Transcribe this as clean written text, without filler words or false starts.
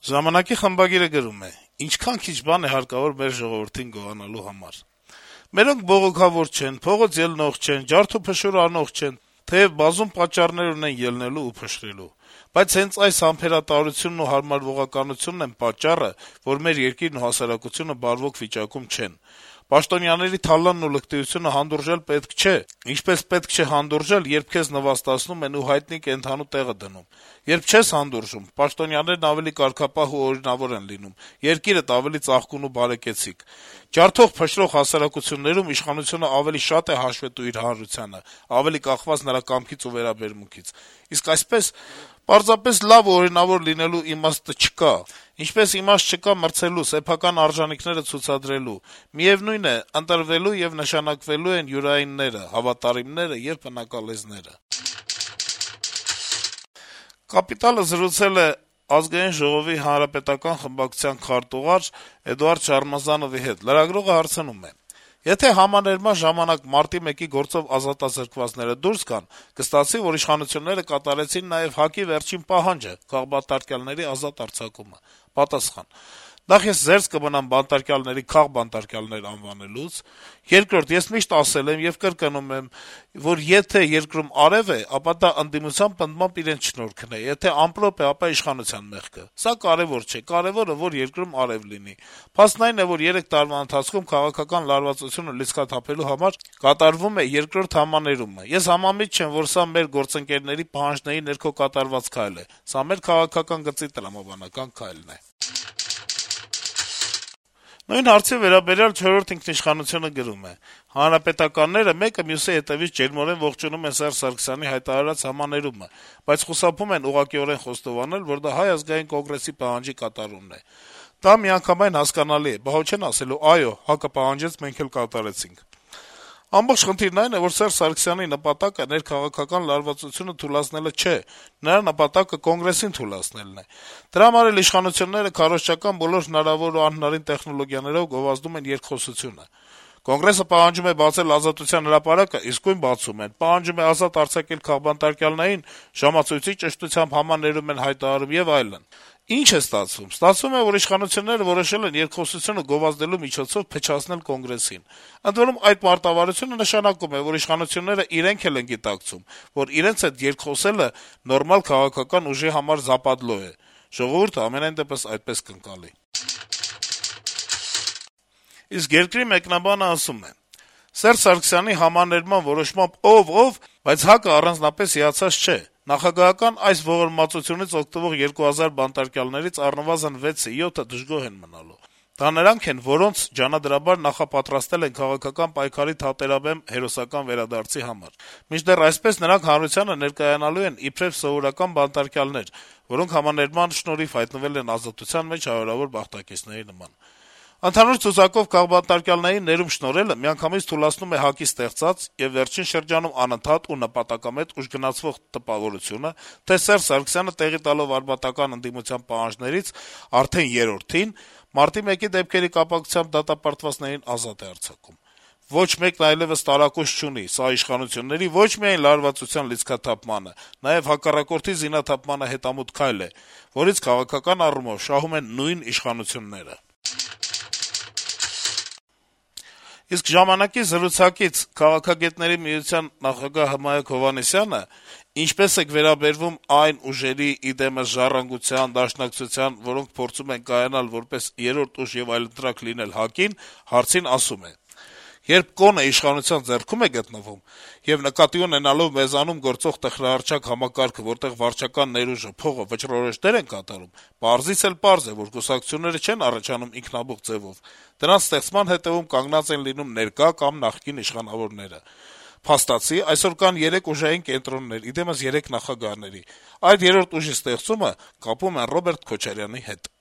Ժամանակի խմբագիրը գրում է. - «Ինչքան քիչ բան է հարկավոր մեր ժողովրդին գողանալու համար: Մերոնք բողոքավոր չեն, փողոց ելնող չեն, ջարդ ու փշուր անող չեն, թեեւ բազում պատճառներ ունեն ելնելու ու փշրելու: Բայց հենց այս համբերատարությունն ու հարմարվողականությունն են պատճառը, որ մեր երկիրն ու հասարակությունը բարվոք վիճակում չեն: Պաշտոնյաների թալանն ու լկտիությունը հանդուրժել պետք չէ, ինչպես պետք չէ հանդուրժել, երբ քեզ նվաստացնում են ու հայտնի կենդանու տեղը դնում: Երբ չես հանդուրժում, պաշտոնյաներն ավելի կարգապահ ու օրինավոր են լինում, երկիրդ ավելի ծաղկուն ու բարեկեցիկ: Ջարդող-փշրող հասարակություններում իշխանությունը ավելի շատ է հաշվետու իր հանրությանը, ավելի կախված նրա կամքից ու վերաբերմունքից: Իսկ այսպես պարզապես լավ ու օրինավոր լինելու իմաստը չկա: Ինչպես իմաստ չկա մրցելու, սեփական արժանինքները ցուցադրելու: Միեւնույն է, ընտրվելու եւ նշանակվելու են յուրայինները, հավատարիմները եւ բնակալեզները»: «Կապիտալ»-ը զրուցել է Ազգային ժողովի հանրապետական խմբակցության քարտուղար Էդուարդ Շարմազանովի հետ: Լրագրողը հարցնում է. - «Եթե համաներման ժամանակ մարտի 1-ի գործով ազատազրկվածները դուրս գան, կստացվի, որ իշխանությունները կատարեցին նաեւ ՀԱԿ-ի վերջին պահանջը` քաղբանտարկյալների ազատ արձակումը»: Պատասխան. - «Նախ` ես զերծ կմնամ բանտարկյալների քաղբանտարկյալներ անվանելուց: Երկրորդ` ես միշտ ասել եմ եւ կրկնում եմ, որ եթե երկրում արեւ է, ապա դա ընդդիմության պնդմամբ իրենց շնորհքն է, եթե ամպրոպ է, ապա իշխանության մեղքը: Սա կարեւոր չէ, կարեւորը, որ երկրում արեւ լինի: Փաստն այն է, որ 3 տարվա ընթացքում քաղաքական լարվածությունը լիցքաթափելու համար կատարվում է երկրորդ համաներումը: Ես համամիտ չեմ, որ սա մեր գործընկերների պահանջների ներքո կատարված քայլ է: Սա մեր քաղաքական գծի տրամաբանական քայլն է»: Նույն հարցի վերաբերյալ «Չորրորդ ինքնիշխանություն»-ը գրում է. - «Հանրապետականները մեկը մյուսի հետեւից ջերմորեն ողջունում են Սերժ Սարգսյանի հայտարարած համաներումը, բայց խուսափում են ուղղակիորեն խոստովանել, որ դա Հայ ազգային կոնգրեսի պահանջի կատարումն է: Դա միանգամայն հասկանալի է, բա հո չեն ասելու` այո, ՀԱԿ-ը պահանջեց, մենք էլ կատարեցինք: Ամբողջ խնդիրն այն է, որ Սերժ Սարգսյանի նպատակը ներքաղաքական լարվածությունը թուլացնելը չէ, նրա նպատակը Կոնգրեսին թուլացնելն է: Դրա համար էլ իշխանությունները քարոզչական բոլոր հնարավոր ու անհնարին տեխնոլոգիաներով գովազդում են երկխոսությունը: Կոնգրեսը պահանջում է բացել Ազատության հրապարակը, իսկույն բացում են, պահանջում է ազատ արձակել քաղբանտարկյալներին, ժամացույցի ճշտությամբ համաներում են հայտարարում եւ այլն: Ինչ է ստացվում: Ստացվում է, որ իշխանությունները որոշել են երկխոսությունը գովազդելու միջոցով փչացնել Կոնգրեսին: Ընդ որում, այդ մարտավարությունը նշանակում է, որ իշխանությունները իրենք էլ են գիտակցում, որ իրենց հետ երկխոսելը նորմալ քաղաքական ուժի համար զապադլո է: Ժողովուրդը համենայն դեպս այդպես կընկալի»: Իսկ «Երկիր» մեկնաբանը ասում է. - «Սերժ Սարգսյանի համաներման որոշմամբ ով, բայց ՀԱԿ-ը առանձնապես հիացած չէ: Նախագահական այս ողորմածությունից օգտվող 2000 բանտարկյալներից առնվազն 6-7-ը դժգոհ են մնալու: Դա նրանք են, որոնց ջանադրաբար նախապատրաստել են քաղաքական պայքարի թատերաբեմ հերոսական վերադարձի համար: Մինչդեռ այսպես նրանք հանրությանը ներկայանալու են իբրեւ սովորական բանտարկյալներ, որոնք համաներման շնորհիվ հայտնվել են ազատության մեջ հարյուրավոր բախտակիցների նման: Ընդհանուր ցուցակով քաղբանտարկյալներին ներում շնորհելը միանգամից թուլացնում է ՀԱԿ-ի ստեղծած եւ վերջին շրջանում անընդհատ ու նպատակամետ ուժգնացվող տպավորությունը, թե Սերժ Սարգսյանը, տեղի տալով արմատական ընդդիմության պահանջներից արդեն երրորդին, մարտի 1-ի դեպքերի կապակցությամբ դատապարտվածներին ազատ է արձակում: Ոչ մեկն այլեւս տարակույս չունի, սա իշխանությունների ոչ միայն լարվածության լիցքաթափմանը, նաեւ հակառակորդի զինաթափմանը հետամուտ քայլ է, որից քաղաքական առումով շահում են նույն իշխանությունները»: Իսկ «Ժամանակ»-ի զրուցակից Քաղաքագետների միության նախագահ Հմայակ Հովհաննիսյանը ինչպես եք վերաբերվում այն ուժերի, ի դեմս «Ժառանգության», Դաշնակցության, որոնք փորձում են կայանալ որպես երրորդ ուժ եւ այլընտրանք լինել ՀԱԿ-ին, հարցին ասում է. - «Երբ կոնը իշխանության ձեռքում է գտնվում, եւ նկատի ունենալով մեզանում գործող տխրահռչակ համակարգը, որտեղ վարչական ներուժը, փողը վճռորոշ դեր են կատարում, պարզից էլ պարզ է, որ կուսակցությունները չեն առաջանում ինքնաբուխ ձեւով: Դրանց ստեղծման հետեւում կանգնած են լինում ներկա կամ նախկին իշխանավորները: Փաստացի, այսօր կան 3 ուժային կենտրոններ, ի դեմս 3 նախագահների: Այդ երրորդ ուժի ստեղծումը կապում են Ռոբերտ Քոչարյանի հետ»: